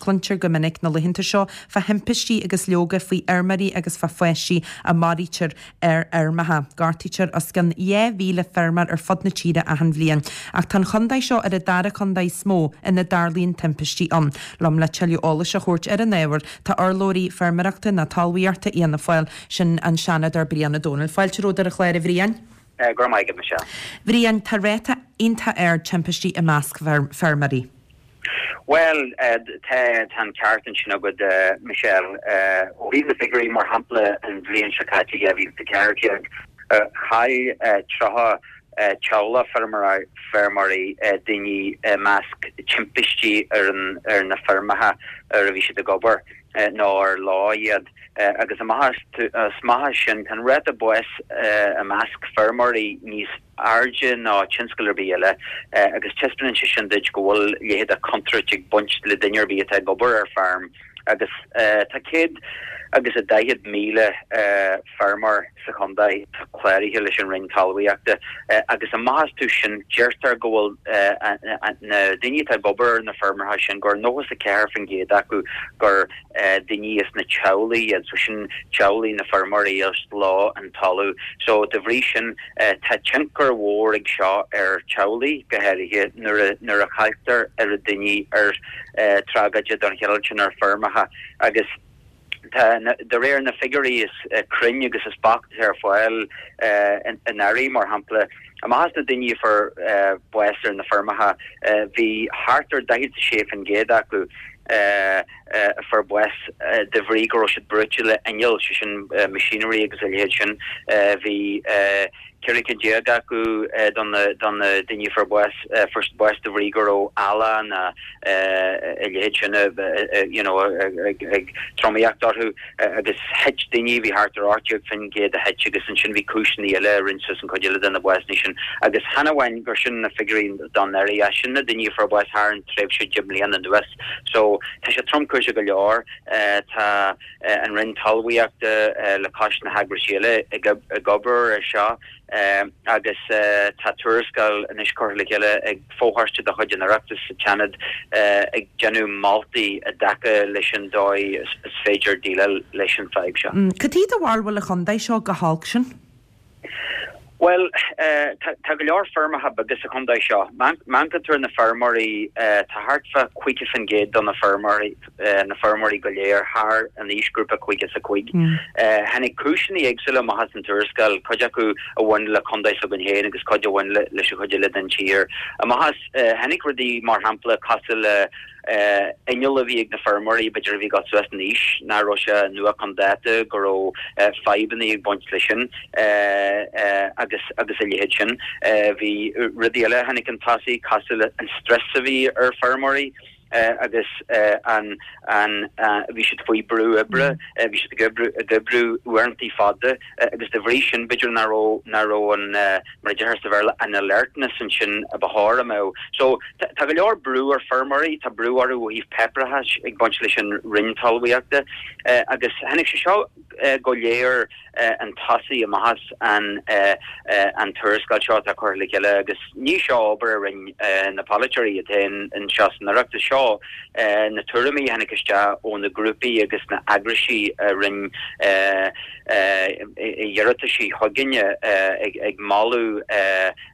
Cluintear go minic na laethanta seo fá thimpistí agus leoga faoi fheirmeoirí agus fá pháistí a maraítear ar fheirmeacha. Gortaítear os cionn 2,000 feirmeoir ar fud na tíre achan bhliain. Ach tá an chontae seo ar an dara contae is mó ina dtarlaíonn timpistí ann. Liom le tuilleadh eolais a thabhairt ar an ábhar tá urlabhraí feirmeoireachta ná talmhaíochta Fhianna Fáil, sin an Seanadóir Brian Ó Domhnaill. Fáilte romhat ar an chlár a Bhriain. Go raibh maith agat, Michelle. Bhriain, tá ráta iontach ard timpistí i measc feirmeoirí. Bhuel, tá, tá an ceart ansin agat, Michelle. Ó thaobh na figiúirí, mar shampla, an bhliain seo caite, 2014, chaill 30 teaghlach feirmeoirí daoine i measc timpistí ar ar na feirmeacha ar a bhí siad ag obair nó ar leo iad. Agus amach as sin, tá an ráta báis i measc feirmeoirí níos airde ná tionscal ar bith eile agus taispeánann sé sin duit go bhfuil leithéid de chontúirt ag baint le duine ar bith atá ag obair ar feirm agus tá 140,000 feirmeoir sa chontae atá cláraithe leis an Roinn Talmhaíochta agus amach astu sin deirtear go bhfuil na daoine atá ag obair ar na feirmeacha sin gur 94% acu gur daoine as na teaghlaigh iad, so sin teaghlaigh na feirmeoirí is leo an talamh. So de bhrí sin tá tionchar mhór ag seo ar teaghlaigh go háirithe nuair a nuair a chailltear oiread daoine ar tragóide den chineál sin ar feirmeacha agus tá de réir na figiúirí is cruinne agus is beacht atá ar fáil anuraidh mar shampla amach as na daoine a fuair bás ar na feirmeacha bhí thart ar 46% acu a fuair bás de bhrí go raibh siad brúite le inneall, sé sin machinery agus a leithéid sin. Bhí 14 cinn acu do na daoine a fuair bás, fuair siad bás de bhrí go raibh eallach nó a leithéid sin you know ag tromaíocht orthu agus thit daoine, bhí thart ar 18% a thit agus ansin bhí cúiseanna eile a rinne suas an chuid eile de na básanna sin agus chan amháin gur sin na figiúirí don anuraidh ach sin na daoine a fuair bás thar an tréimhse 10 mbliana anuas. So, tá sé tromchúiseach go leor. Tá an Roinn Talmhaíochta le cois na heagraisí eile ag obair ar seo agus tá tuarascáil anois curtha le chéile ag fochoiste de chuid an Oireachtais sa tSeanad ag déanamh moltaí i dtaca leis an dóigh is féidir déileáil leis an fadhb seo. Cad chuige do bharúil bhfuil an chontae seo chomh holc sin? Bhuel, tá go leor feirmeacha beaga sa chontae seo. Má amharcann tú ar na feirmeoirí, tá thart fá 50% de na feirmeoirí, na feirmeoirí go léir thar an aoisghrúpa 55. Tháinig cúiseanna éagsúla amach as an tuarascáil, cuid acu a bhain le contae s'againn féin agus cuid a bhain leis an chuid eile den tír. Amach as, tháinig rudaí mar shampla cosúil le, inneall a bhí ag na feirmeoirí, b'fhéidir a bhí ag dul suas in aois, nach raibh sé nua chun dáta, go raibh fadhbanna ag baint leis sin agus agus a leithéid sin. Bhí rudaí eile a tháinig chun tosaigh cosúil le an stress a bhí ar feirmeoirí agus an an bhí siad faoi brú oibre, bhí siad ag oibriú ag oibriú uaireantaí fada agus de bhrí sin b'fhéidir nach raibh nach raibh an mar a deirtear sa Bhéarla, an alertness ansin a ba chóir a mbeadh. So, tá go leor brú ar feirmeoirí, tá brú orthu ó thaobh páipéarachais ag baint leis an Roinn Talmhaíochta agus tháinig sé seo go léir chun tosaigh amach as an an tuarascáil seo atá curtha le chéile agus ní seo obair a rinne na polaiteoirí iad féin anseo san Oireachtas, seo na tuairimí a tháinig isteach ó na grúpaí agus na eagraisí a rinne iarrataisí chugainne ag moladh,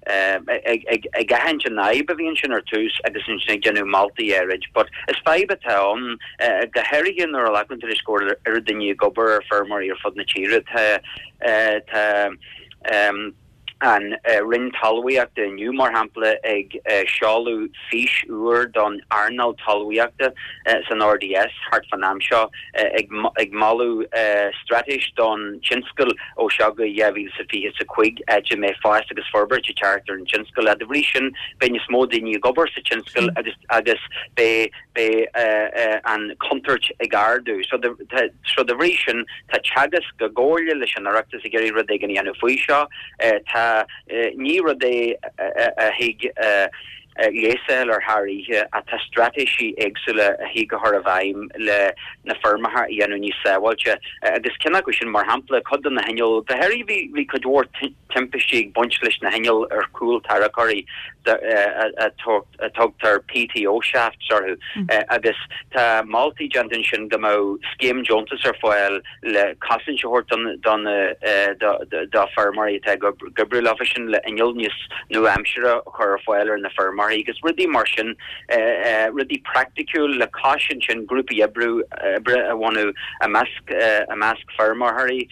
ag aithint an fhadhb a bhí ansin ar tús agus ansin ag déanamh moltaí áirid. But is fadhb atá ann, go háirithe nuair a ghlacann tú leis go bhfuil oiread daoine ag obair ar feirmeoirí ar fud na tíre. Tá, tá, an Roinn Talmhaíochta inniu, mar shampla, ag seoladh fís úr don earnáil talmhaíochta san RDS thart fán am seo, ag moladh straitéis don tionscal ó seo go 2025, áit a mbeidh fás agus forbairt ag teacht ar an tionscal. De bhrí sin, beidh níos mó daoine ag obair sa tionscal agus beidh beidh an chontúirt ag ardú. So de bhrí sin, tá Teagasc i gcomhairle leis an Oireachtas ag iarraidh rud éigin a dhéanamh faoi seo. Tá, ní rud é a thig leigheas a fháil air thar oíche ach tá straitéisí éagsúla a thig a chur i bhfeidhm le na feirmeacha a dhéanamh níos sábháilte. Agus ceann acu sin, mar shampla, cuid de na hinnill, go háirithe bhí cuid mhór timpistí ag baint leis na hinnill ar chúl tarracóirí. A tugtar PTO shafts orthu agus tá moltaí déanta ansin go mbeadh scéim deontas ar fáil le cosaint a thabhairt do na do feirmeoirí atá ag oibriú leofa sin le inneall níos nua-aimseartha a chur ar fáil ar na feirmeoirí agus rudaí mar sin, rudaí praiticiúil le cois ansin grúpaí oibre a bhunú i measc i measc feirmeoirí,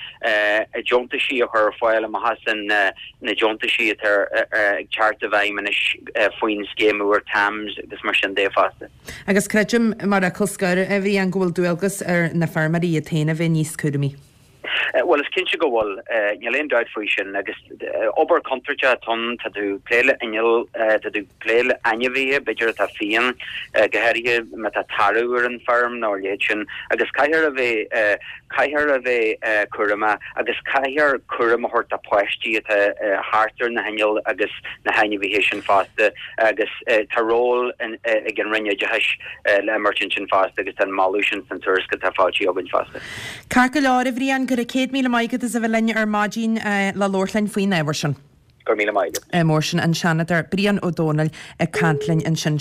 deontaisí a chur ar fáil amach as an na deontaisí atá ag teacht i bhfeidhm anois faoin scéim úr TAMS agus mar sin de fosta. Agus creidim, mar fhocal scoir, a Bhriain, go bhfuil dualgas ar na feirmeoirí iad féin a bheith níos cúramaí. Bhuel, is cinnte go bhfuil. Níl aon dabht faoi sin. Agus obair chontúirteach atá ann, tá tú ag plé le inneall, tá tú ag plé le ainmhithe, b'fhéidir atá fiáin, go háirithe má tá tarbh ar an bhfeirm nó a leithéid sin. Agus caithfear a bheith Caithfear a bheith cúramach agus caithfear cúram a thabhairt do pháistí atá thart ar na hinnill agus na hainmhithe sin fosta agus tá ról ag an Roinn Oideachais le imirt ansin fosta agus tá an moladh sin san tuarascáil atá foilsithe againn fosta. Ceart go leor, a Bhriain, go raibh 100,000 maith agat as a bheith linn ar maidin le labhairt linn faoin ábhar sin. Go raibh míle maith agat. Mór sin an Seanadóir Brian Ó Domhnaill ag caint linn ansin.